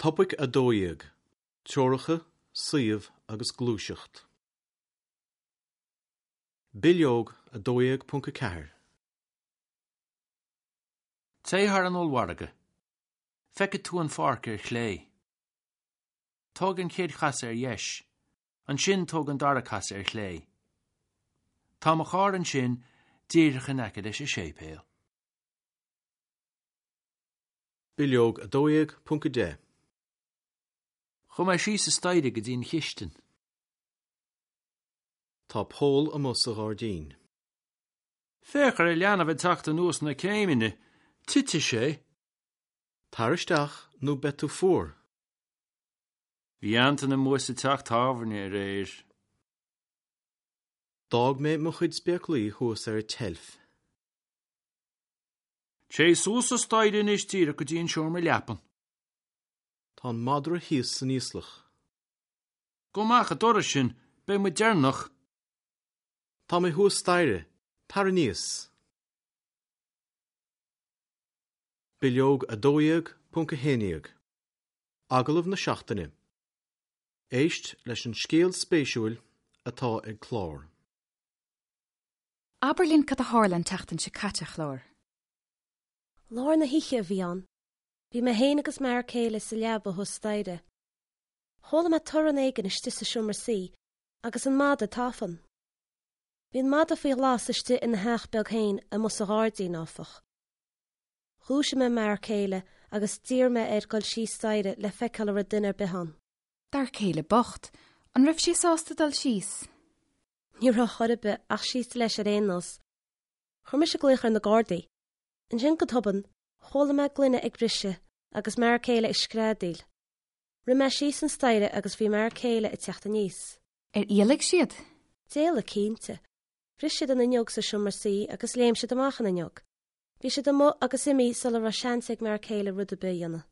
Topaic 12, Treoracha, Suíomh agus Gluaiseacht. Bileog 12.4. Téigh thar an ollmhargadh. Feicfidh tú an pháirc ar chlé. Tóg an chéad chasadh ar dheis. Ansin tóg an dara casadh ar chlé. Tá mo charr ansin díreach in aice leis an séipéal. Bileog 12.10. Chuaigh mé síos an staighre go dtí an chistin. Tá poll amuigh sa ghairdín. Féach ar an leanbh ag teacht anuas na céimeanna. Titfidh sé. Tar isteach nó beidh tú fuar. Bhí Antain amuigh sa teach tábhairne aréir. D'fhág mé mo chuid spéaclaí thuas ar an tseilf. Téigh suas an staighre anois díreach go dtí an seomra leapan. Tá an madra thíos san íoslach. Gabh amach an doras sin, beidh muid deireanach. Tá mé thuas staighre, tar aníos. Bileog 12.11 Agallamh na Seachtaine Éist leis an scéal spéisiúil atá ag Clár. Abair linn cad a tharla an tseachtain seo caite, a Chláir. Lár na hoíche a bhí ann. Bhí mé féin agus m'fhear céile sa leaba thuas staighre. Chuala mé torann éigin istigh sa seomra suí agus an mada ag tafann. Bhí an mada faoi ghlas istigh ina theach beag féin amuigh sa ghairdín, áfach. Dhúisigh mé m'fhear céile agus d'iarr mé air dul síos staighre le feiceáil an raibh duine ar bith ann. D'fhear céile bocht, an raibh sé sásta dul síos? Ní raibh chor ar bith ach síos leis ar aon nós. Chuir mise glaoch ar na Gardaí. Ansin go tobann, chuala mé gloine ag briseadh agus m'fhear céile ag screadaíl. Rith mé síos an staighre agus bhí m'fhear céile ag teacht aníos. Ar éalaigh siad? D'éalaigh cinnte. Bhris siad an fhuinneog sa seomra suí agus léim siad amach an fhuinneog. Bhí siad amuigh agus imithe sula raibh seans ag m'fhear céile rud ar bith a dhéanamh.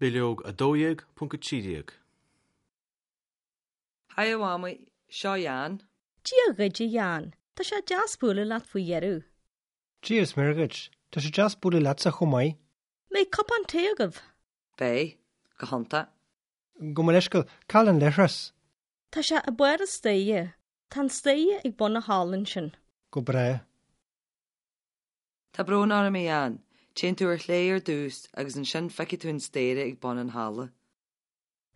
Bileog 12.13. Haigh a Mhamaí, seo Jan. Dia dhuit a Jan, tá sé deas bualadh leat faoi dheireadh. Dia is Muire dhuit, tá sé deas bualadh leatsa chomh maith. Mbeidh cupán tae agaibh? Beidh, go hiontach. Gabh mo leithscéal, cá bhfuil an leithreas? Tá sé ag barr an staighre. Tá an staighre ag bun an halla ansin. Go breá. Tá brón orm a Jan, téann tú ar chlé ar dtús agus ansin feicfidh tú an staighre ag bun an halla.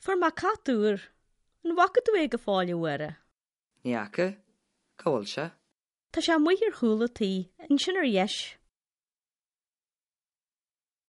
Fuair mé cat úr. An bhfaca tú é go fóill, a Mháire? Ní fhaca. Cá bhfuil sé? Tá sé amuigh ar chúl an tí, ansin ar dheis.